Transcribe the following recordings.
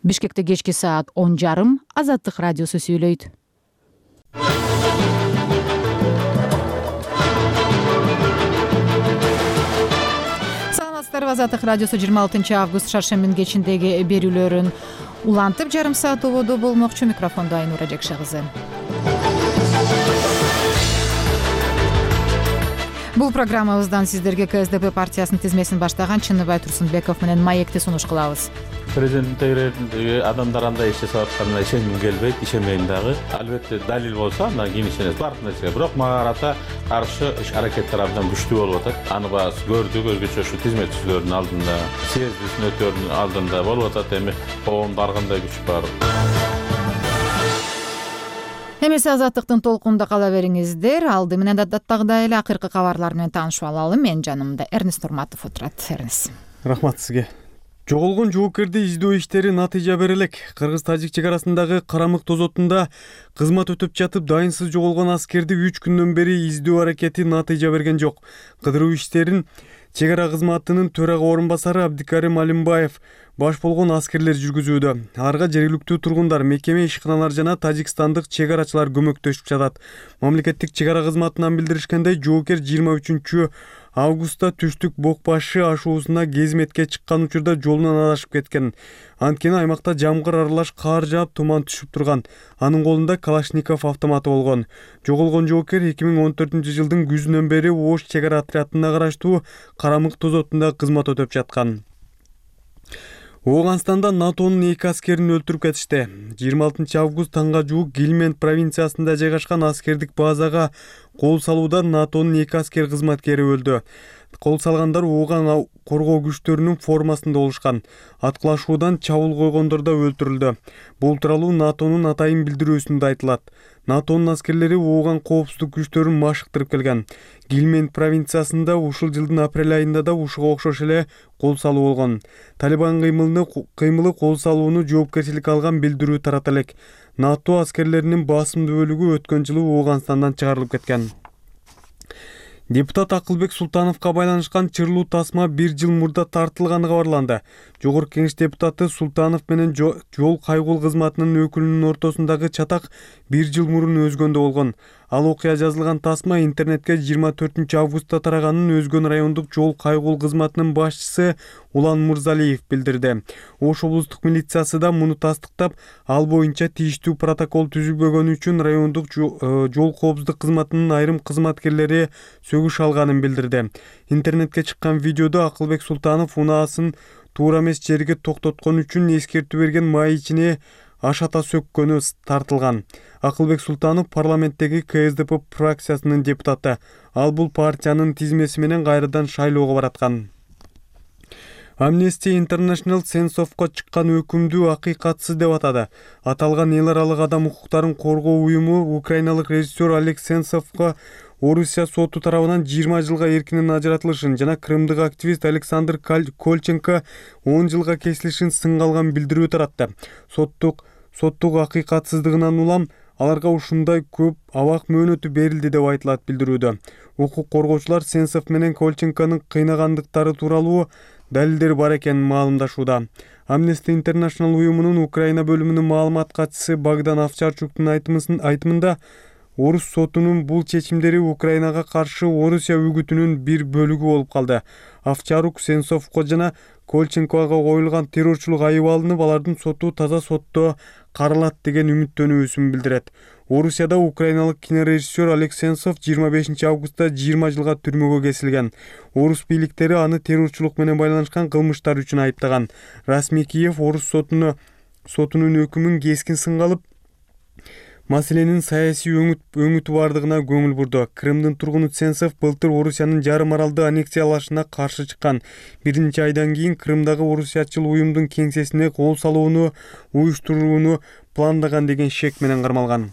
Бишкекте кечки саат 10:30 Азаттык радиосу сүйлөйт. Саламатсыздарбы, Азаттык радиосу 26 август шаршембинин кечиндеги берүүлөрүн улантып жарым саат ободо болмокчу. Микрофондо Айнура Жекше кызы. Бул программабыздан сиздерге КСДП партиясынын тизмесин баштаган Чыныбай Турсунбеков менен маекти сунуш кылабыз. Президент тегерендеги адамдар андай ишти сатканына ишенгим келбейт, ишенбейм дагы. Албетте далил болсо, андан кийин ишенет баардык нерсеге. Бирок мага карата каршы иш-аракеттер абдан күчтүү болуп атат. Аны баасы көрдүк, өзгөчө ушу тизмет түзүүлөрдүн алдында, съезд өтөөрүнүн алдында болуп атат. Эми коомдо ар кандай күч бар. Эмесе Азаттыктын толкунунда кала бериңиздер. Алды менен даттагдагы эле акыркы кабарлар менен таанышып алалы. Менин жанымда Эрнис Турматов отурат. Эрнис. Рахмат сизге. Жоголгон жоокерди издөө иштери натыйжа бере элек. Кыргыз-тажик чек арасындагы Карамык тозотунда кызмат өтүп жатып дайынсыз жоголгон аскерди 3 күндөн бери издөө аракети натыйжа берген жок. Кыдыруу иштерин чек ара кызматынын төрага орун басары Абдикарим Алимбаев баш болгон аскерлер жүргүзүүдө. Аларга жергиликтүү тургундар, мекеме ишканалар жана тажикстандык чек арачылар көмөктөшүп жатат. Мамлекеттик чек ара кызматынан билдиришкендей, жоокер 23 августта түштүк Бок башы ашуусуна кезметке чыккан учурда жолунан адашып кеткен. Анткени аймакта жамгыр аралаш каар жаап, туман түшүп турган. Анын колунда Калашников автоматы болгон. Жоголгон жоокер 2014-жылдын күзүнөн бери Ош чек ара отрядына караштуу Карамык тозотунда кызмат өтөп жаткан. Ооганстанда НАТОнун 2 аскерин өлтүрүп кетишти. 26 август таңга жуук Гильмент провинциясында жайгашкан аскердик базага кол салууда НАТОнун 2 аскер кызматкери өлдү. Кол салгандар Ооган коргоо күчтөрүнүн формасында болушкан. Аткылашуудан чабуул койгондор да өлтүрүлдү. Бул тууралуу НАТОнун атайын билдирүүсүндө айтылат. НАТОнун аскерлери Ооган коопсуздук күчтөрүн машыктырып келген. Гильмент провинциясында ушул жылдын апрель айында да ушуга окшош эле кол салуу болгон. Талибан кыймылы кол салууну жоопкерчиликке алган билдирүү тарата элек. НАТО аскерлеринин басымдуу бөлүгү өткөн жылы Ооганстандан чыгарылып кеткен. Депутат Акылбек Султановго байланышкан чырлуу тасма 1 жыл мурда тартылганы кабарланды. Жогорку Кеңеш депутаты Султанов менен жол кайгул кызматынын өкүлүнүн ортосундагы чатак 1 жыл мурун өзгөндө болгон. Ал окуя жазылган тасма интернетке 24 августта тараганын Өзгөн райондук жол кайгул кызматынын башчысы Улан Мурзалиев билдирди. Ош облустук милициясы да муну тастыктап, ал боюнча тийиштүү протокол түзүлбөгөнү үчүн райондук жол коопсуздук кызматынын айрым кызматкерлери сөгүш алганын билдирди. Интернетке чыккан видеодо Акылбек Султанов унаасын туура эмес жерге токтоткон үчүн эскертүү берген маечине ашата сөккөнү тартылган. Акылбек Султанов парламенттеги КСДП фракциясынын депутаты. Ал бул партиянын тизмеси менен кайрадан шайлоого бараткан. Amnesty International Sentsovго чыккан өкүмдү акыйкатсыз деп атады. Аталган эл аралык адам укуктарын коргоо уюму украиналык режиссер Олег Сенцовго Орусия соту тарабынан 20 жылга эркинен ажыратылышын жана крымдык активист Александр Кольченко 10 жылга кесилишин сынга алган билдирүү таратты. Соттук акыйкатсыздыгынан улам аларга ушундай көп абак мөөнөтү берилди деп айтылат билдирүүдө. Укук коргоочулар Сенцов менен Кольченконун кыйнагандыктары тууралуу далилдер бар экенин маалымдашууда. Amnesty International уюмунун Украина бөлүмүнүн маалымат катчысы Богдан Овчарчуктун айтымында Орус сотунун бул чечимдери Украинага каршы Орусия үгүтүнүн бир бөлүгү болуп калды. Овчарук Сенцовго жана Кольченкого коюлган террорчулук айыбы алынып, алардын соту таза сотто каралат деген үмүттөнүүсүн билдирет. Орусияда украиналык кинорежиссер Олег Сенцов 25 августта 20 жылга түрмөгө кесилген. Орус бийликтери аны террорчулук менен байланышкан кылмыштар үчүн айыптаган. Расмий Киев Орус сотунун өкүмүн кескин сынга алып, маселенин саясий өңүтү бардыгына көңүл бурду. Крымдын тургуну Сенцов былтыр Орусиянын жарым аралды аннексиялашына каршы чыккан. 1 айдан кийин Крымдагы орусиячыл уюмдун кеңсесине кол салууну уюштурууну пландаган деген шек менен кармалган.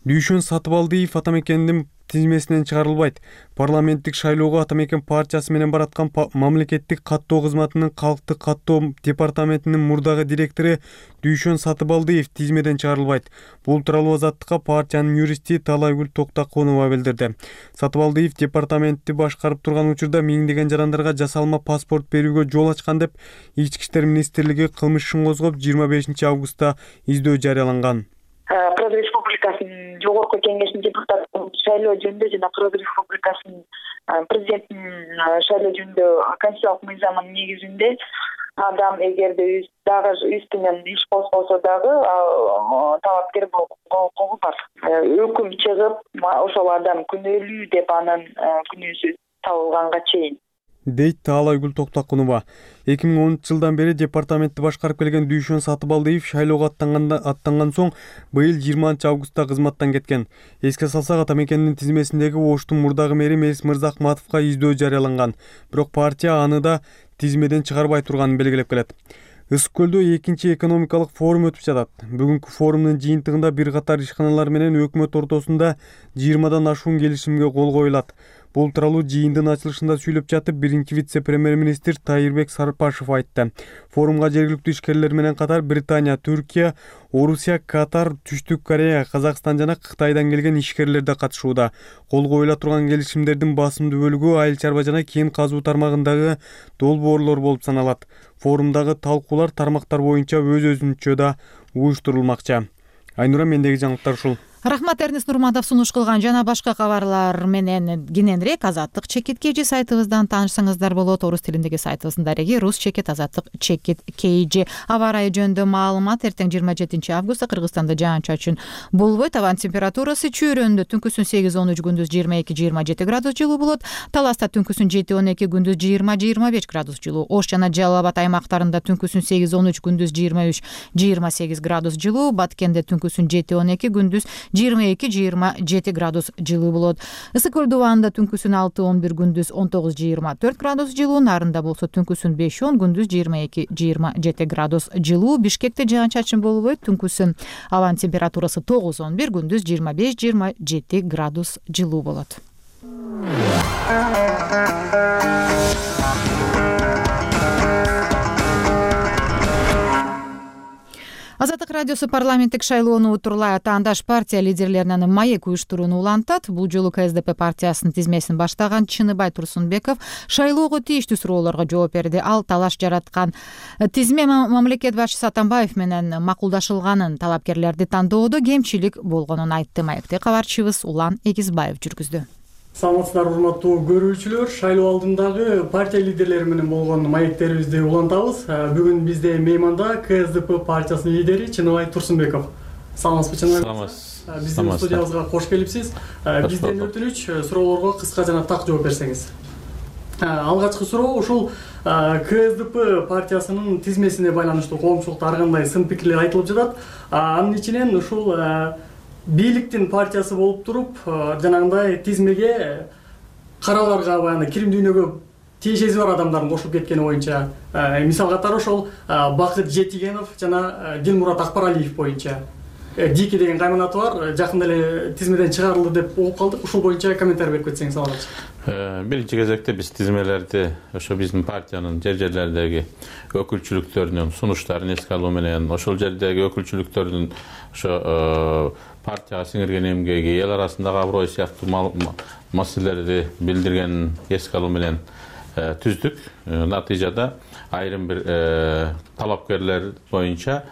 Дүйшөн Сатыбалдиев атамекендин тизмесинен чыгарылбайт. Парламенттик шайлоого Ата Мекен партиясы менен бараткан мамлекеттик каттоо кызматынын калктык каттоо департаментинин мурдагы директору Дүйшөн Сатыбалдиев тизмеден чыгарылбайт. Бул тууралуу Азаттыкка партиянын юристи Талайгүл Токтакунова билдирди. Сатыбалдиев департаментти башкарып турган учурда миңдеген жарандарга жасалма паспорт берүүгө жол ачкан деп Ички иштер министрлиги кылмыш ишин козгоп 25 августта издөө жарыяланган. Кыргыз Республикасынын жогорку кеңешинин депутаттын шайлоо жөнүндө жана Кыргыз Республикасынын президентинин шайлоо жөнүндө конституциялык мыйзамынын негизинде адам эгерде дагы үстүнөн иш козголсо дагы талапкер болууга бар. Өкүм чыгып, ошол адам күнөөлүү деп анын күнөөсү табылганга чейин, дейт Талайгүл Токтакунова. 2010-жылдан бери департаментти башкарып келген Дүйшөн Сатыбалдиев шайлоого аттанган соң быйыл 20 августта кызматтан кеткен. Эске салсак, Ата Мекендин тизмесиндеги Оштун мурдагы мэри Мелис Мырзахматовго издөө жарыяланган. Бирок партия аны да тизмеден чыгарбай турганын белгилеп келет. Ысык көлдө 2-чи экономикалык форум өтүп жатат. Бүгүнкү форумдун жыйынтыгында бир катар ишканалар менен өкмөт ортосунда 20дан ашуун келишимге кол коюлат. Бул тууралуу жыйындын ачылышында сүйлөп жатып, биринчи вице-премьер-министр Тайырбек Сарпашев айтты. Форумга жергиликтүү ишкерлер менен катар Британия, Түркия, Орусия, Катар, Түштүк Корея, Казакстан жана Кытайдан келген ишкерлер да катышууда. Кол коюла турган келишимдердин басымдуу бөлүгү айыл чарба жана кен казуу тармагындагы долбоорлор болуп саналат. Форумдагы талкуулар тармактар боюнча өз-өзүнчө да уюштурулмакчы. Айнура, мендеги жаңылыктар ушул. Рахмат, Эрнест Нурматов сунуш кылган. Жана башка кабарлар менен кененирээк Азаттык чекит KG сайтыбыздан таанышсаңыздар болот. Орус тилиндеги сайтыбыздын дареги Рус чекит Азаттык чекит KG. Аба ырайы жөнүндө маалымат: эртең 27 августта Кыргызстанда жаан-чачын болбойт. Абанын температурасы чөйрөндө түнкүсүн 8-13, күндүз 22-27 градус жылуу болот. Таласта түнкүсүн 7-12, күндүз 20-25 градус жылуу. Ош жана Жалал Абад аймактарында түнкүсүн 8-13, күндүз 23-28 градус жылуу. Баткенде түнкүсүн 7-12, күндүз 22-27 градус жылуу болот. Ысык көл дубанында түнкүсүн 6-11, күндүз 19-24 градус жылуу. Нарында болсо түнкүсүн 5-10, күндүз 22-27 градус жылуу. Бишкекте жаан-чачын болбойт. Түнкүсүн абанын температурасы 9-11, күндүз 25-27 градус жылуу болот. Азаттык радиосу парламенттик шайлоону утурлай атаандаш партия лидерлеринин маек уюштурууну улантат. Бул жолу КСДП партиясынын тизмесин баштаган Чыныбай Турсунбеков шайлоого тийиштүү суроолорго жооп берди. Ал талаш жараткан тизме мамлекет башчысы Атамбаев менен макулдашылганын, талапкерлерди тандоодо кемчилик болгонун айтты. Маекти кабарчыбыз Улан Эгизбаев жүргүздү. Саламатсыздар, урматтуу көрүүчүлөр. Шайлоо алдындагы партия лидерлери менен болгон маектерибизди улантабыз. Бүгүн бизде мейманда КСДП партиясынын лидери Чыныбай Турсунбеков. Саламатсызбы, Чыныбай? Саламатсыз. Биздин студиябызга кош келипсиз. Бизден өтүнүч, суроолорго кыска жана так жооп берсеңиз. Алгачкы суроо ушул КСДП партиясынын тизмесине байланыштуу коомчулукта ар кандай сын пикирлер айтылып жатат. Анын ичинен ушул бийликтин партиясы болуп туруп, жанагындай тизмеге караларга баягы кирим дүйнөгө тиешеси бар адамдардын кошулуп кеткени боюнча, мисал катары ошол Бакыт Жетигенов жана Дилмурат Акбаралиев боюнча Дики деген кайманаты бар, жакында эле тизмеден чыгарылды деп угуп калдык. Ушул боюнча комментарий берип кетсеңиз алабыз. Биринчи кезекте биз тизмелерди ошо биздин партиянын жерлердеги өкүлчүлүктөрүнүн сунуштарын эске алуу менен, ошол жердеги өкүлчүлүктөрдүн ошо партияга сиңирген эмгеги, эл арасындагы аброй сыяктуу маселелерди билдиргенин эске алуу менен түздүк. Натыйжада айрым бир талапкерлер боюнча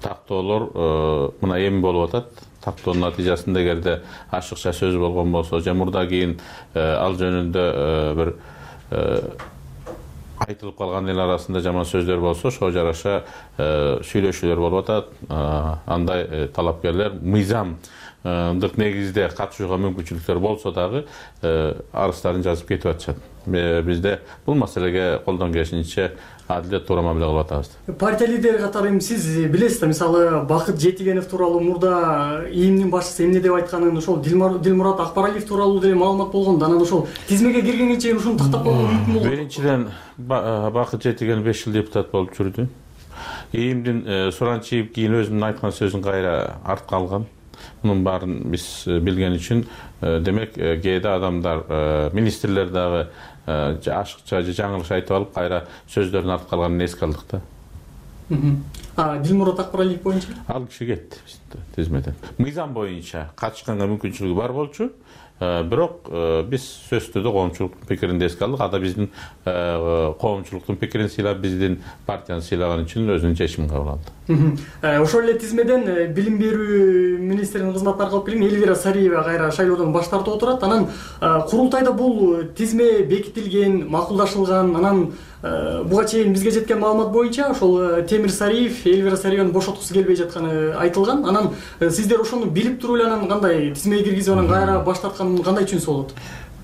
тактоолор мына эми болуп атат. Тактоонун натыйжасында эгерде ашыкча сөз болгон болсо, же мурда кийин ал жөнүндө бир айтылып калган эл арасында жаман сөздөр болсо, ошого жараша сүйлөшүүлөр болуп атат. Андай талапкерлер мыйзамдык негизде катышууга мүмкүнчүлүктөр болсо дагы арыздарын жазып кетип атышат. Бизде бул маселеге колдон келишинче адилет туура мамиле кылып атабыз. Партия лидери катары сиз билесиз да, мисалы Бакыт Жетигенов тууралуу мурда ИИМдин башчысы эмне деп айтканын, ошол Дилмурат Акбаралиев тууралуу деле маалымат болгон. Анан ошол тизмеге киргенге чейин ушуну тактап койгон мүмкүн болот. Биринчиден Бакыт Жетигенов 5 жыл депутат болуп жүрдү. ИИМдин Суранчиев кийин өзүнүн айткан сөзүн кайра артка алган. Мунун баарын биз билген үчүн демек кээде адамдар министрлер дагы ашыкча же жаңылыш айтып алып кайра сөздөрүн артып калганын эске алдык да. Дилмурат Акбаралиев боюнча Ал киши кетти тизмеден. Мыйзам боюнча катышканга мүмкүнчүлүгү бар болчу. Бирок биз сөзсүздө коомчулуктун пикирин эске алдык. Ада биздин коомчулуктун пикирин сыйлап, биздин партияны сыйлаган үчүн өзүнүн чечимин кабыл алды. Ошол эле тизмеден билим берүү министринин кызматына аркалып келген Эльвира Сариева кайра шайлоодон баш тартып отурат. Анан курултайда бул тизме бекитилген, макулдашылган. Анан буга чейин бизге жеткен маалымат боюнча ошол Темир Сариев Эльвира Сариеваны бошоткусу келбей жатканы айтылган. Анан сиздер ошону билип туруп эле анан кандай тизмеге киргизип анан кайра баш тарткан кандай чүнсү болот?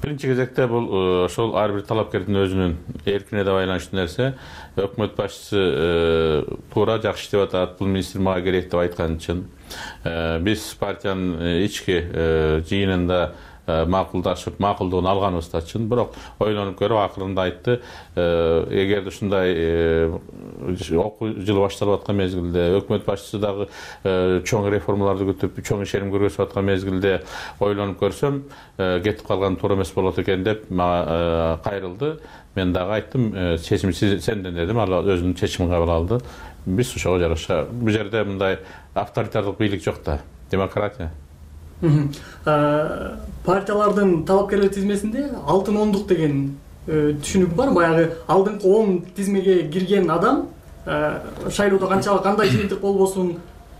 Биринчи кезекте бул ошол ар бир талапкердин өзүнүн эркине да байланыштуу нерсе. Өкмөт башчысы туура жакшы иштеп атат, бул министр мага керек деп айткан үчүн биз партиянын ички жыйынында макулдашып, макулдугун алганыбызда үчүн, бирок ойлонуп көрүп акырында айтты, эгерде ушундай окуу жылы башталып аткан мезгилде, өкмөт башчысы дагы чоң реформаларды күтүп, чоң ишеним көргөзүп аткан мезгилде ойлонуп көрсөм, кетип калган туура эмес болот экен деп мага кайрылды. Мен дагы айттым, чечим сенден дедим, ал өзүнүн чечимин кабыл алды. Биз ошого жараша, бул жерде мындай авторитардык бийлик жок да, демократия. Партиялардын талапкерлер тизмесинде алтын ондук деген түшүнүк бар. Баягы алдыңкы 10 тизмеге кирген адам шайлоодо кандай жыйынтык болбосун,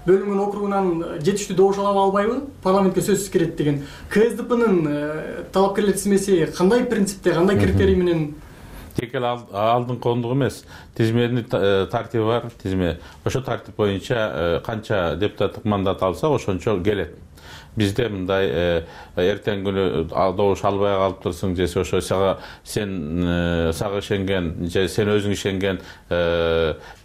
бөлүнгөн округунан жетиштүү добуш ала албайбы, парламентке сөзсүз кирет деген. КСДПнын талапкерлер тизмеси кандай принципте, кандай критерий менен? Тек эле алдыңкы ондук эмес, тизменин тартиби бар, тизме. Ошо тартип боюнча канча депутаттык мандат алса, ошончо келет. Бизде мындай эртең күнү добуш албай калып турсуң, же ошо сага ишенген, же сен өзүң ишенген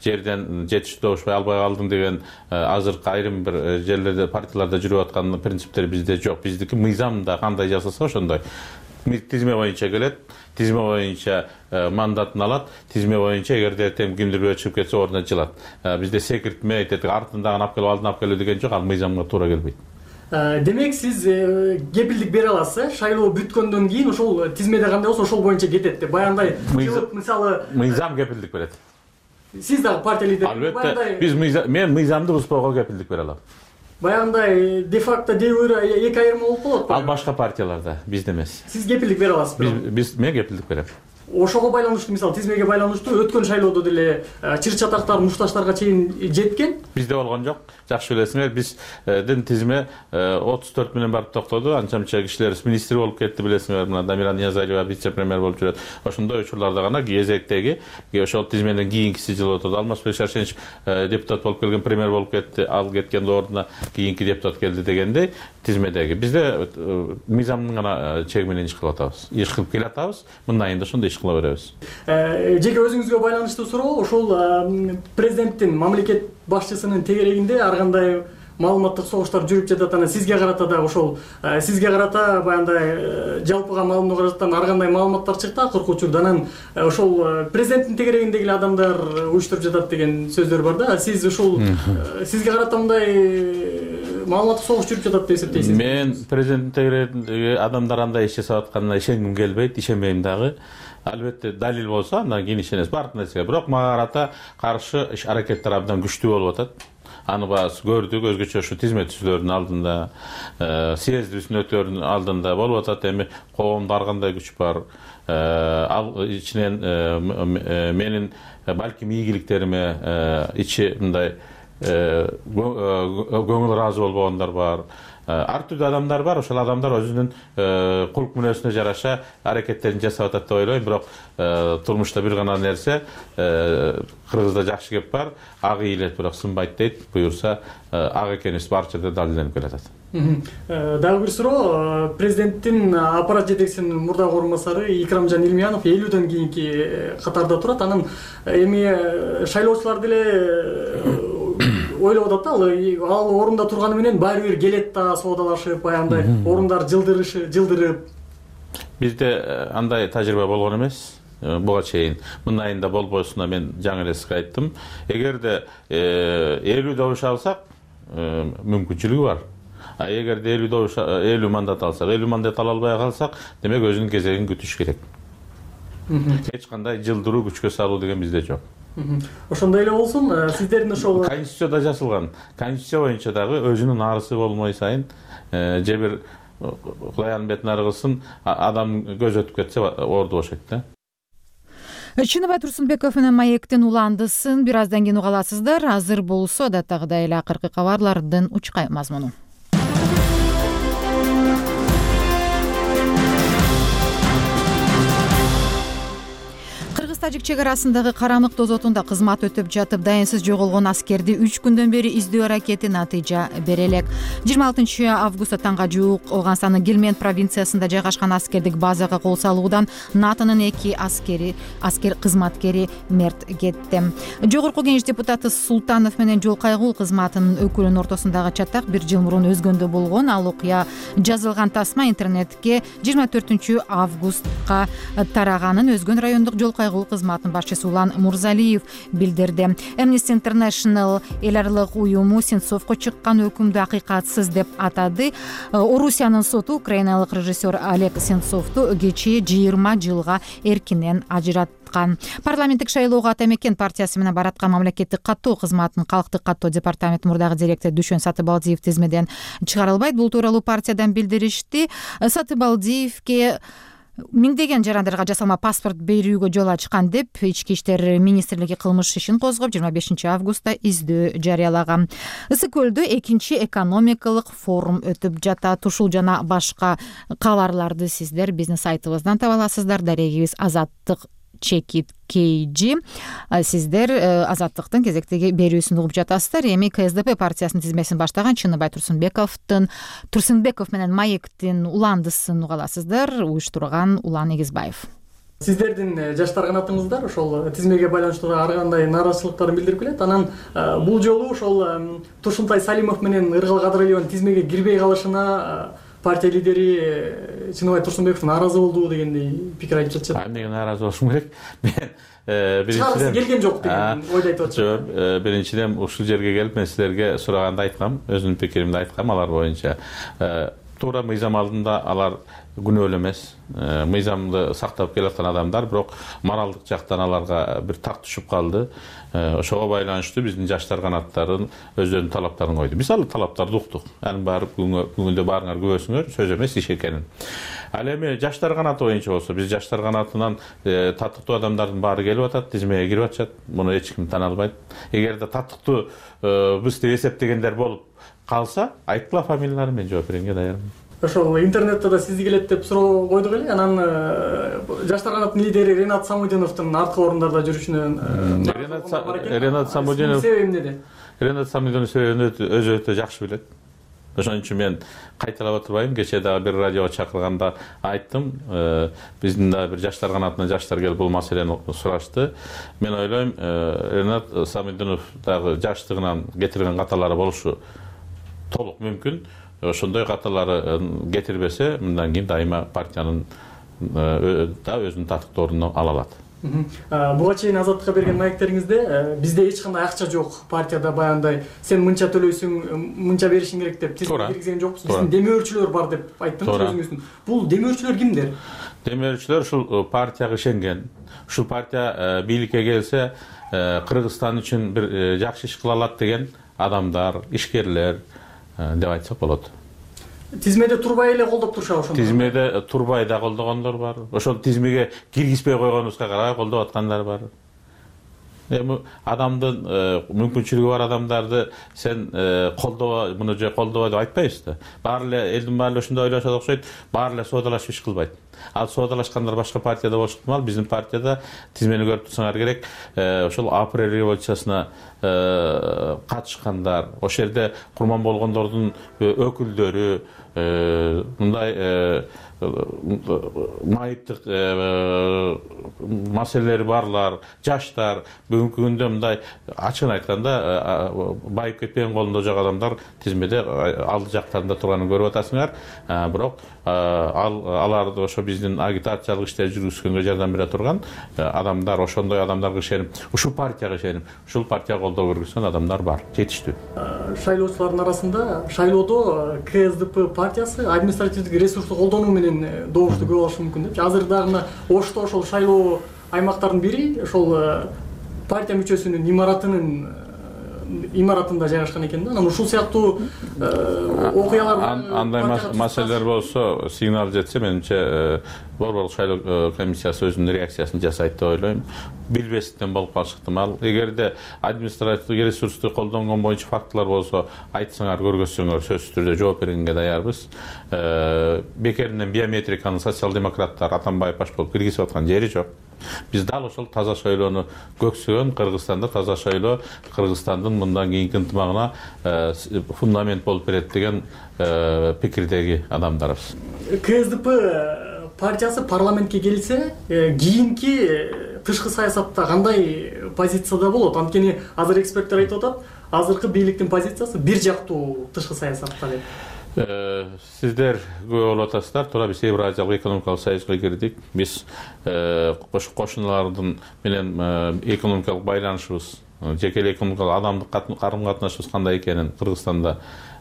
жерден жетиштүү добуш албай калдың деген азыркы айрым бир жерлерде, партияларда жүрүп аткан принциптер бизде жок. Биздики мыйзамда кандай жазылса ошондой. Тизме боюнча келет, тизме боюнча мандатын алат, тизме боюнча эгерде эртең кимдир бирөө чыгып кетсе ордуна жылат. Бизде секиртме, артындагы алып келип, алдын алып келүү деген жок, ал мыйзамга туура келбейт. Демек сиз кепилдик бере аласыз, шайлоо бүткөндөн кийин ошол тизмеде кандай болсо ошол боюнча кетет деп. Баягындай мисалы мыйзам кепилдик берет. Сиз дагы партия лидери. Албетте, мен мыйзамды бузбоого кепилдик бере алам. Баягындай де-факто де-юре эки айырма болуп калат. Ал башка партияларда, бизде эмес. Сиз кепилдик бере аласызбы? Мен кепилдик берем. Ошого байланыштуу, мисалы тизмеге байланыштуу өткөн шайлоодо деле чыр-чатактар, мушташтарга чейин жеткен. Бизде болгон жок. Жакшы билесиңер, биздин тизме 34 менен барып токтоду. Анча-мынча кишилер министр болуп кетти, билесиңер. Мына Дамира Ниязалиева вице-премьер болуп жүрөт. Ошондой учурларда гана кезектеги ошол тизмеден кийинкиси жылып отурду. Алмазбек Шаршенов депутат болуп келген, премьер болуп кетти. Ал кеткенде ордуна кийинки депутат келди дегендей тизмедеги. Бизде мыйзамдын гана чеги менен иш кылып атабыз. Иш кылып келе атабыз. Мындайында ошондой иш кыла беребиз. Жеке өзүңүзгө байланыштуу суроо, ошол президенттин, мамлекет башчысынын тегерегинде ар кандай маалыматтык согуштар жүрүп жатат. Анан сизге карата да ошол сизге карата баягындай жалпыга маалымдоо каражаттан ар кандай маалыматтар чыкты акыркы учурда. Анан ошол президенттин тегерегиндеги эле адамдар уюштуруп жатат деген сөздөр бар да. Сиз ошол сизге карата мындай маалыматтык согуш жүрүп жатат деп эсептейсизби? Мен президенттин тегерегиндеги адамдар андай иш жасап атканына ишенгим келбейт, ишенбейм дагы. Албетте далил болсо андан кийин ишенесиз баардык нерсеге. Бирок мага карата каршы иш аракеттер абдан күчтүү болуп атат. Аны баасы көрдүк, өзгөчө ушу тизме түзүүлөрдүн алдында, съездибиздин өтөөрүнүн алдында болуп атат. Эми коомдо ар кандай күч бар. Ал ичинен менин балким ийгиликтериме ичи мындай көңүл ыраазы болбогондар бар. Ар түрдүү адамдар бар. Ошол адамдар өзүнүн кулк мүнөзүнө жараша аракеттерин жасап атат деп ойлойм. Бирок турмушта бир гана нерсе, кыргызда жакшы кеп бар, ак ийилет, бирок сынбайт дейт. Буюрса ак экенибиз бар жерде далилденип келатат. Дагы бир суроо, президенттин аппарат жетекчисинин мурдагы орун басары Икрамжан Илмиянов 50дөн кийинки катарда турат. Анан эми шайлоочулар деле ойлоп атат да, ал орунда турганы менен баары бир келет да, соодалашып, баягындай орундар жылдырып. Бизде андай тажрыйба болгон эмес. Буга чейин мындайында болбосуна мен жаңы эле сизге айттым. Эгерде 50 добуш алсак, мүмкүнчүлүгү бар. эгерде 50 мандат алсак, 50 мандат ала албай калсак, демек өзүнүн кезегин күтүш керек. Эч кандай жылдыруу, күчкө салуу деген бизде жок. Ошондой эле болсун, сиздердин ошол Конституцияда жазылган. Конституция боюнча дагы өзүнүн арысы болмой сайын же бир Кудайдын бетин ары кылсын, адам көз өтүп кетсе орду бошойт да. Чыныбай Турсунбеков менен Маектин уландысын бир аздан кийин уга аласыздар. Азыр болсо адаттагыдай эле акыркы кабарлардын учкай мазмуну. Кыргыз-Тажик чек арасындагы Карамык дозотунда кызмат өтүп жатып дайынсыз жоголгон аскерди 3 күндөн бери издөө аракети натыйжа бере элек. 26 августта таңга жуук Оганстандын Гилмент провинциясында жайгашкан аскердик базага кол салуудан НАТОнун 2 аскер кызматкери мерт кетти. Жогорку Кеңеш депутаты Султанов менен жол кайгуу кызматынын өкүлүнүн ортосундагы чатак 1 жыл мурун өзгөндө болгон. Ал окуя жазылган тасма интернетке 24 августка тараганын өзгөн райондук жол кайгуу кызматынын башчысы Улан Мурзалиев билдирди. Amnesty International эл аралык уюму Сенцовго чыккан өкүмдү акыйкатсыз деп атады. Орусиянын соту украиналык режиссер Олег Сенцовду кечээ 20 жылга эркинен ажыраткан. Парламенттик шайлоого ата мекен партиясы менен бараткан мамлекеттик каттоо кызматынын калктык каттоо департаменти мурдагы директору Дүшөн Сатыбалдиев тизмеден чыгарылбайт. Бул тууралуу партиядан билдиришти. Сатыбалдиевке миңдеген жарандарга жасалма паспорт берүүгө жол ачкан деп Ички иштер министрлиги кылмыш ишин козгоп 25 августта издөө жарыялаган. Ысык көлдө 2 экономикалык форум өтүп жатат. Ушул жана башка кабарларды сиздер биздин сайтыбыздан таба аласыздар. Дарегибиз Азаттык чекит KG. Сиздер Азаттыктын кезектеги берүүсүн угуп жатасыздар. Эми КСДП партиясынын тизмесин баштаган Чыныбай Турсунбеков менен Маектин уландысын уга аласыздар. Уюштурган Улан Эгизбаев. Сиздердин жаштар канатыңыздар ошол тизмеге байланыштуу ар кандай нааразычылыктарын билдирип келет. Анан бул жолу ошол Турсунтай Салимов менен Ыргал Кадыралиеванын тизмеге кирбей калышына партия лидери Чыныбай Турсунбеков нааразы болду дегендей пикир айтып жатышат. Эмнеге нааразы болушум керек? Мен биринчиден келген жок деген ойду айтып атышат. Биринчиден ушул жерге келип мен силерге сураганда айткам, өзүмдүн пикиримди айткам алар боюнча. Туура мыйзам алдында алар күнөөлүү эмес. Мыйзамды сактап келаткан адамдар, бирок моралдык жактан аларга бир так түшүп калды. Ошого байланыштуу биздин жаштар канаттарын өздөрүнүн талаптарын койду. Биз ал талаптарды уктук. Анын барып бүгүндө баарыңар күбөсүңөр, сөз эмес, иш экенин. Ал эми жаштар канаты боюнча болсо, биз жаштар канатынан татыктуу адамдардын баары келип атат, тизмеге кирип атышат. Муну эч ким тана албайт. Эгерде татыктуу биз деп эсептегендер болуп калса, айткыла фамилияларын, мен жооп беренге даярмын. Ошол интернетте да сизди келет деп суроо койдук эле. Анан жаштар канаттын лидери Ренат Самудиновдун арткы орундарда жүрүшүнөн Ренат Самудинов себеби эмнеде? Ренат Самудинов себебин өзү өтө жакшы билет. Ошон үчүн мен кайталап отурбайм. Кечээ дагы бир радиого чакырганда айттым, биздин да бир жаштар канатынан жаштар келип бул маселени сурашты. Мен ойлойм, Ренат Самудинов дагы жаштыгынан кетирген каталары болушу толук мүмкүн. Ошондой каталары кетирбесе, мындан кийин дайыма партиянын да өзүнүн татыктуу ордуна ала алат. Буга чейин Азаттыкка берген маектериңизде бизде эч кандай акча жок, партияда баягындай сен мынча төлөйсүң, мынча беришиң керек деп тизмеге киргизген жокпуз. Биздин демөөрчүлөр бар деп айттыңыз өзүңүздүн. Бул демөөрчүлөр кимдер? Демөөрчүлөр ушул партияга ишенген. Ушул партия бийликке келсе, Кыргызстан үчүн бир жакшы иш кыла алат деген адамдар, ишкерлер деп айтсак болот. Тизмеде турбай эле колдоп турушабы ошондо? Тизмеде турбай да колдогондор бар. Ошол тизмеге киргизбей койгонубузга карабай колдоп аткандар бар. Эми адамдын мүмкүнчүлүгү бар адамдарды сен колдоба, муну же колдоба деп айтпайбыз да. Баары эле элдин баары эле ушундай ойлошот окшойт, баары эле соодалашып иш кылбайт. Ал соодалашкандар башка партияда болушу ыктымал. Биздин партияда тизмени көрүп турсаңар керек, ошол апрель революциясына катышкандар, ошол жерде курман болгондордун өкүлдөрү, мындай майыптык маселелери барлар, жаштар, бүгүнкү күндө мындай ачыгын айтканда байып кетпеген колунда жок адамдар тизмеде алды жактарында турганын көрүп атасыңар. Бирок аларды ошо биздин агитациялык иштер жүргүзгөнгө жардам бере турган адамдар, ошондой адамдарга ишенип, ушул партияга ишенип, ушул партияга колдоо көргөзгөн адамдар бар, жетиштүү. Шайлоочулардын арасында шайлоодо КСДП партиясы административдик ресурсту колдонуу менен добушту көп алышы мүмкүн депчи. Азыр дагы мына Ошто ошол шайлоо аймактардын бири ошол партия мүчөсүнүн имаратында жайгашкан экен да. Анан ушул сыяктуу окуялар, андай маселелер болсо, сигнал жетсе, менимче борборлук шайлоо комиссиясы өзүнүн реакциясын жасайт деп ойлойм. Билбестен болуп калышы ыктымал. Эгерде административдик ресурсту колдонгон боюнча фактылар болсо, айтсаңар, көргөзсөңөр, сөзсүз түрдө жооп бергенге даярбыз. Бекеринен биометриканы социал-демократтар Атамбаев баш болуп киргизип аткан жери жок. Биз дал ошол таза шайлоону көксөгөн, Кыргызстанда таза шайлоо Кыргызстандын мындан кийинки ынтымагына фундамент болуп берет деген пикирдеги адамдарбыз. КСДП партиясы парламентке келсе, кийинки тышкы саясатта кандай позицияда болот? Анткени азыр эксперттер айтып атат, азыркы бийликтин позициясы бир жактуу тышкы саясатта деп. Сиздер көп болуп атасыздар. Туура биз Евразиялык экономикалык союзга кирдик. Биз кошуналардын менен экономикалык байланышыбыз, жеке эле экономикалык адамдык карым-катнашыбыз кандай экенин Кыргызстанда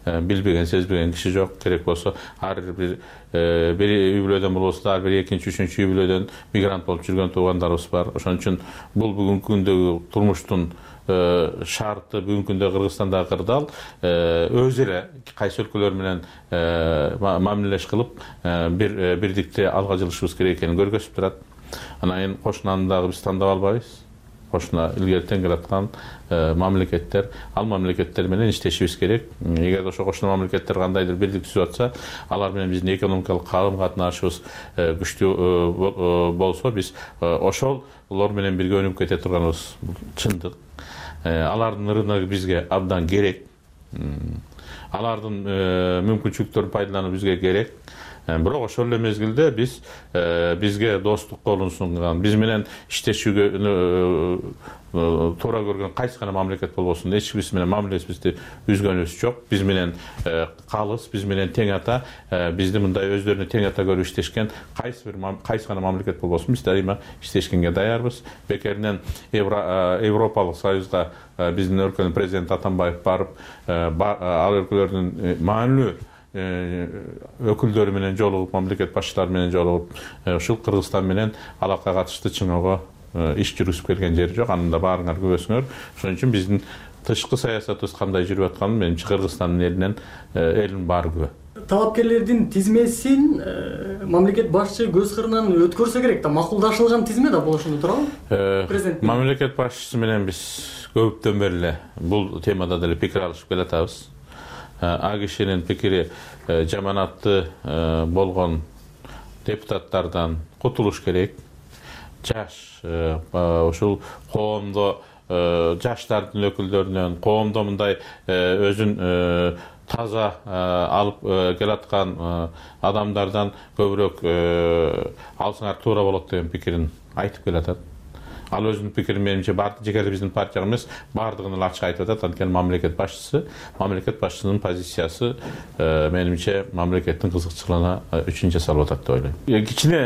билбеген, сезбеген киши жок. Керек болсо ар бир үй бүлөдөн болбосо да, ар бир экинчи, үчүнчү үй бүлөдөн мигрант болуп жүргөн туугандарыбыз бар. Ошон үчүн бул бүгүнкү күндөгү турмуштун шарты бүгүнкү күндө Кыргызстанда кырдаал, өзү эле кайсы өлкөлөр менен мамилелеш кылып, бирдикте алга жылышыбыз керек экенин көргөзүп турат. Анан кошунаны дагы биз тандап албайбыз. Кошуна илгертен келаткан мамлекеттер, ал мамлекеттер менен иштешибиз керек. Эгер ошо кошуна мамлекеттер кандайдыр бирлик түзүп атса, алар менен биздин экономикалык карым-катнашыбыз күчтүү болсо, биз ошолор менен бирге өнүгүп кете турганыбыз чындык. Алардын рыногу бизге абдан керек. Алардын мүмкүнчүлүктөрүн пайдалануу бизге керек. Бирок ошол эле мезгилде бизге достук колун сунган, биз менен иштешүүгө туура көргөн кайсы гана мамлекет болбосун, эч кимси менен мамилебизди үзгөнүбүз жок. Биз менен калыс, биз менен тең ата, бизди мындай өздөрүнө тең ата көрүп иштешкен кайсы гана мамлекет болбосун, биз дайыма иштешкенге даярбыз. Бекеринен Европалык союзга биздин өлкөнүн президенти Атамбаев барып, ал өлкөлөрдүн маанилүү өкүлдөрү менен жолугуп, мамлекет башчылары менен жолугуп, ушул Кыргызстан менен алакка катыштуу чыңоого иш жүргүзүп келген жери жок. Анын да баарыңар көрөсүңөр. Ошон үчүн биздин тышкы саясатыбыз кандай жүрүп атканын менимче Кыргызстандын элинин баары күбө. Талапкерлердин тизмесин мамлекет башчы көз кырынан өткөрсө керек да, макулдашылган тизме да болушунда туурабы? Президент мамлекет башчысы менен биз көптөн бери эле бул темада деле пикир алышып келатабыз. А кишинин пикири жаманатты болгон депутаттардан кутулуш керек. Жаш ушул коомдо жаштардын өкүлдөрүнөн, коомдо мындай өзүн таза алып келаткан адамдардан көбүрөөк алсаңар туура болот деген пикирин айтып келатат. Ал өзүнүн пикирин менимче жеке биздин партияга эмес, баардыгын эле ачык айтып атат. Анткени мамлекет башчысынын позициясы менимче мамлекеттин кызыкчылыгына үчүн жасалып атат деп ойлойм. Кичине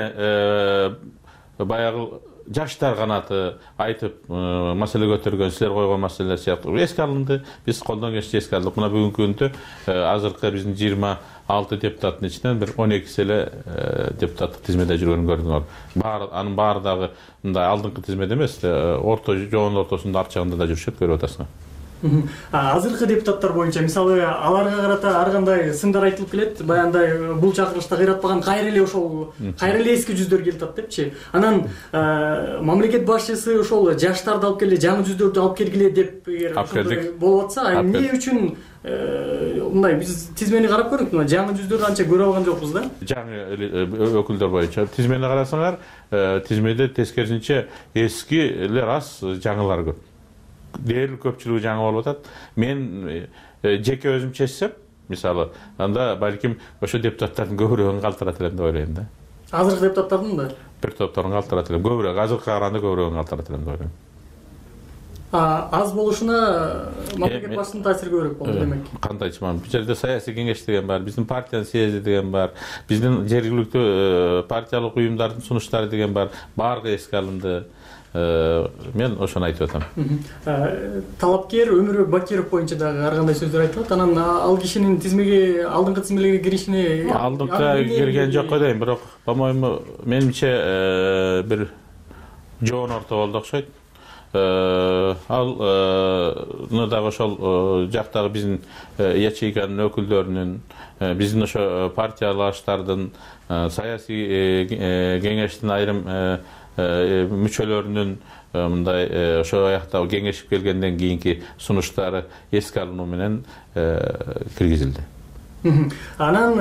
баягы жаштар канаты айтып маселе көтөргөн, силер койгон маселелер сыяктуу эске алынды. Биз колдон келишинче эске алдык. Мына бүгүнкү күндө азыркы биздин 26 депутаттын ичинен бир 12 эле депутаттык тизмеде жүргөнүн көрдүңөр. Анын баары дагы мындай алдыңкы тизмеде эмес, жоонун ортосунда арчагында да жүрүшөт, көрүп атасыңар. Азыркы депутаттар боюнча мисалы аларга карата ар кандай сындар айтылып келет. Баягындай бул чакырышта кыйратпаган кайра эле эски жүздөр келип атат депчи. Анан мамлекет башчысы ошол жаштарды алып келе, жаңы жүздөрдү алып келгиле деп болуп атса, эмне үчүн мындай биз тизмени карап көрдүк, жаңы жүздөрдү анча көрө алган жокпуз да. Жаңы өкүлдөр боюнча тизмени карасаңар, тизмеде тескерисинче эски эле рас жаңылар көп. Дээрлик көпчүлүгү жаңы болуп атат. Мен жеке өзүм чечсем, мисалы, анда балким ошо депутаттардын көбүрөөүн калтырат элем деп ойлойм да. Азыркы депутаттардын да? Бир топторун калтырат элем, көбүрөөк, азыркыга караганда көбүрөөүн калтырат элем деп ойлойм. аз болушуна мамлекет башчысынын таасири көбүрөөк болду демек. Кандай айтчуман, бул жерде саясий кеңеш деген бар, биздин партиянын съезди деген бар, биздин жергиликтүү партиялык уюмдардын сунуштары деген бар, баардыгы эске алынды. Мен ошону айтып атам. Талапкер Өмүрбек Бакиров боюнча дагы ар кандай сөздөр айтылат. Анан ал кишинин тизмеге алдыңкы тизмелерге киришине алдыңкы кирген жок дейм, бирок по-моему менимче бир жоон орто болду окшойт. Ал дагы ошол жактагы биздин ячейканын өкүлдөрүнүн, биздин ошо партиялаштардын, саясий кеңештин айрым мүчөлөрүнүн мындай ошол аякта кеңешип келгенден кийинки сунуштары эске алынуу менен киргизилди. Анан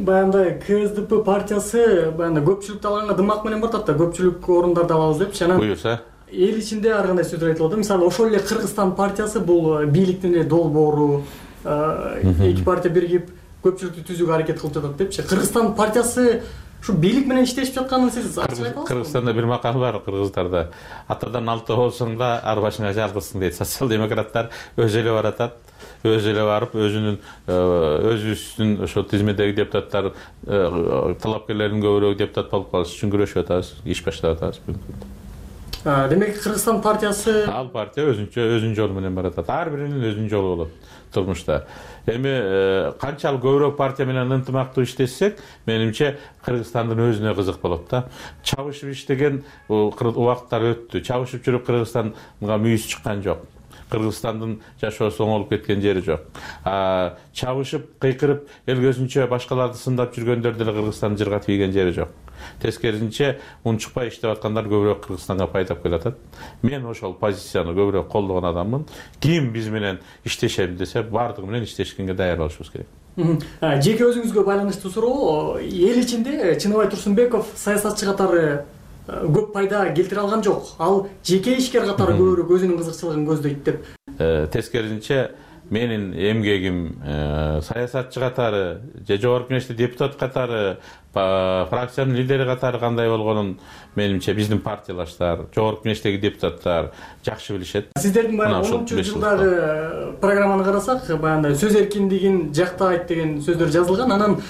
баягындай КСДП партиясы баягындай көпчүлүктү алганга дымак менен бартат да, көпчүлүк орундарды алабыз депчи. Анан буюрса эл ичинде ар кандай сөздөр айтылат. Мисалы ошол эле Кыргызстан партиясы бул бийликтин эле долбоору, эки партия биригип көпчүлүктү түзүүгө аракет кылып жатат депчи. Кыргызстан партиясы ушу бийлик менен иштешип жатканын сиз ачык айта аласызбы? Кыргызстанда бир макал бар кыргыздарда. Атадан алты болсоң да ар башыңа жалгызсың дейт. Социал-демократтар өзү эле баратат, өзү эле барып өзүбүздүн ошо тизмедеги депутаттар, талапкерлердин көбүрөөгү депутат болуп калыш үчүн күрөшүп атабыз, иш баштап атабыз. Демек Кыргызстан партиясы ал партия өзүнүн жолу менен баратат. Ар биринин өзүнүн жолу болот турмушта. Эми канчалык көбүрөөк партия менен ынтымактуу иштесек, менимче Кыргызстандын өзүнө кызык болот да. Чабышып иштеген убакыттар өттү. Чабышып жүрүп Кыргызстанга мүйүз чыккан жок. Кыргызстандын жашоосу оңолуп кеткен жери жок. Чабышып, кыйкырып, эл көзүнчө башкаларды сындап жүргөндөр деле Кыргызстандын жырга тийген жери жок. Тескерисинче, унчукпай иштеп аткандар көбүрөөк Кыргызстанга пайдап келатат. Мен ошол позицияны көбүрөөк колдогон адаммын. Ким биз менен иштешем десе, бардыгы менен иштешкенге даяр болушубуз керек. Жеке өзүңүзгө байланыштуу суроо. Эл ичинде Чыныбай Турсунбеков саясатчы катары көп пайда келтире алган жок. Ал жеке ишкер катары көбүрөөк өзүнүн кызыкчылыгын көздөйт деп. Тескерисинче, менин эмгегим саясатчы катары, же жогорку кеңеште депутат катары, фракциянын лидери катары кандай болгонун менимче биздин партиялаштар, жогорку кеңештеги депутаттар жакшы билишет. Сиздердин баягы 10-жылдагы программаны карасак, баягындай сөз эркиндигин жактайт деген сөздөр жазылган. Анан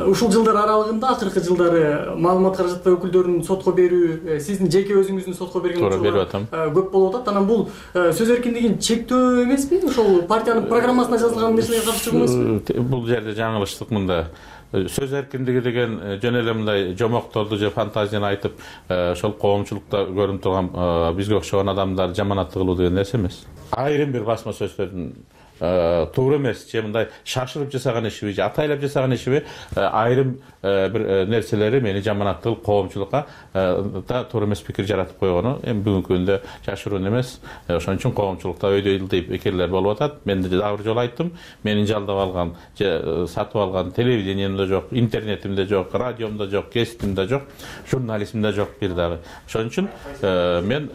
ушул жылдар аралыгында, акыркы жылдары маалымат каражаты өкүлдөрүн сотко берүү, сиздин жеке өзүңүздүн сотко берген учурлар көп болуп атат. Анан бул сөз эркиндигин чектөө эмеспи? Ошол партиянын программасына жазылган нерселерге каршы чыгуу эмеспи? Бул жерде жаңылыштык мында. Сөз эркиндиги деген жөн эле мындай жомокторду же фантазияны айтып, ошол коомчулукта көрүнүп турган бизге окшогон адамдар жаманат кылуу деген нерсе эмес. Айрым бир басма сөздөрдүн туура эмес, же мындай шашырып жасаган ишиби, же атайлап жасаган ишиби, айрым бир нерселери мени жаманаттык коомчулукка да туура эмес пикир жаратып койгону эми бүгүнкү күндө жашыруун эмес. Ошон үчүн коомчулукта өйдө ылдый пикирлер болуп атат. Мен дагы бир жолу айттым, менин жалдап алган же сатып алган телевидениемде жок, интернетимде жок, радиомдо жок, кесиптимде жок, журнализмде жок бир дагы. Ошон үчүн мен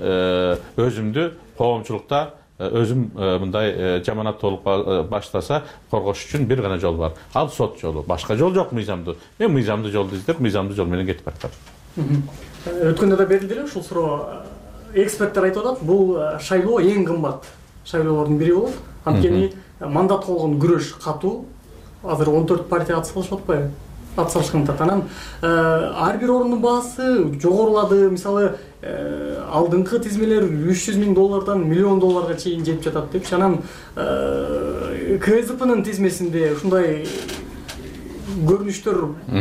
өзүмдү коомчулукта өзүм мындай жаманат болуп баштаса коргош үчүн бир гана жол бар. Ал сот жолу. Башка жол жок мыйзамдуу. Мен мыйзамдуу жолду издеп, мыйзамдуу жол менен кетип баратам. Өткөндө да берилди эле ушул суроо. Эксперттер айтып атат, бул шайлоо эң кымбат шайлоолордун бири болот. Анткени мандат болгон күрөш катуу. Азыр 14 партия атсалышып атпайбы? Атсалышкан атат. Анан ар бир орунун баасы жогорулады. Мисалы, алдыңкы тизмелер $300,000 $1 миллион чейин жетип жатат депчи. Анан КСДПнын тизмесинде ушундай көрүнүштөр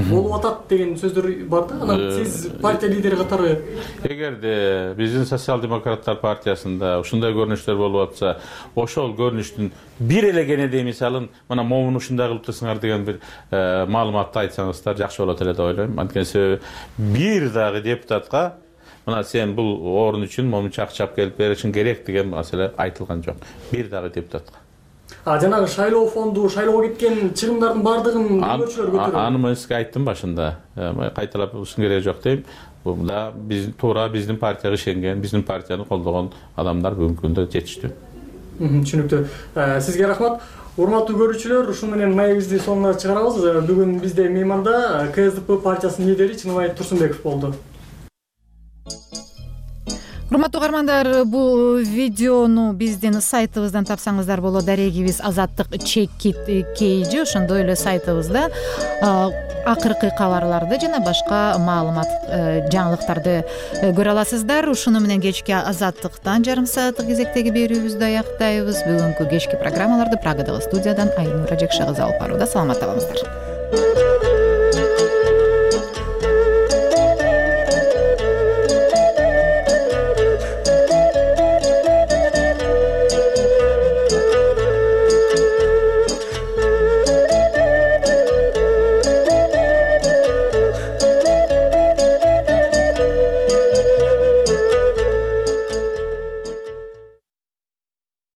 болуп атат деген сөздөр бар да. Анан сиз партия лидери катары эгерде биздин социал-демократтар партиясында ушундай көрүнүштөр болуп атса, ошол көрүнүштүн бир эле кенедей мисалын мына момун ушундай кылып турсуңар деген бир маалыматты айтсаңыздар жакшы болот эле деп ойлойм. Анткени себеби бир дагы депутатка мына сен бул орун үчүн момунча акча алып келип беришиң керек деген маселе айтылган жок. Бир дагы депутатка. Жанагы шайлоо фонду, шайлоого кеткен чыгымдардын баардыгын көчөлөр көтөрөт. Аны мен сизге айттым башында. Кайталап ушун кереги жок дейм. Бул да туура биздин партияга ишенген, биздин партияны колдогон адамдар бүгүнкү күндө жетиштүү. Түшүнүктүү. Сизге рахмат. Урматтуу көрүүчүлөр, ушун менен маегибизди сонуна чыгарабыз. Бүгүн бизде мейманда КСДП партиясынын лидери Чыныбай Турсунбеков болду. урматтуу угармандар, бул видеону биздин сайтыбыздан тапсаңыздар болот. Дарегибиз Азаттык чекит KG. Ошондой эле сайтыбызда акыркы кабарларды жана башка маалымат, жаңылыктарды көрө аласыздар. Ушуну менен кечки Азаттыктан жарым сааттык кезектеги берүүбүздү аяктайбыз. Бүгүнкү кечки программаларды Прагадагы студиядан Айнура Жекше кызы алып барууда. Саламатта болуңуздар.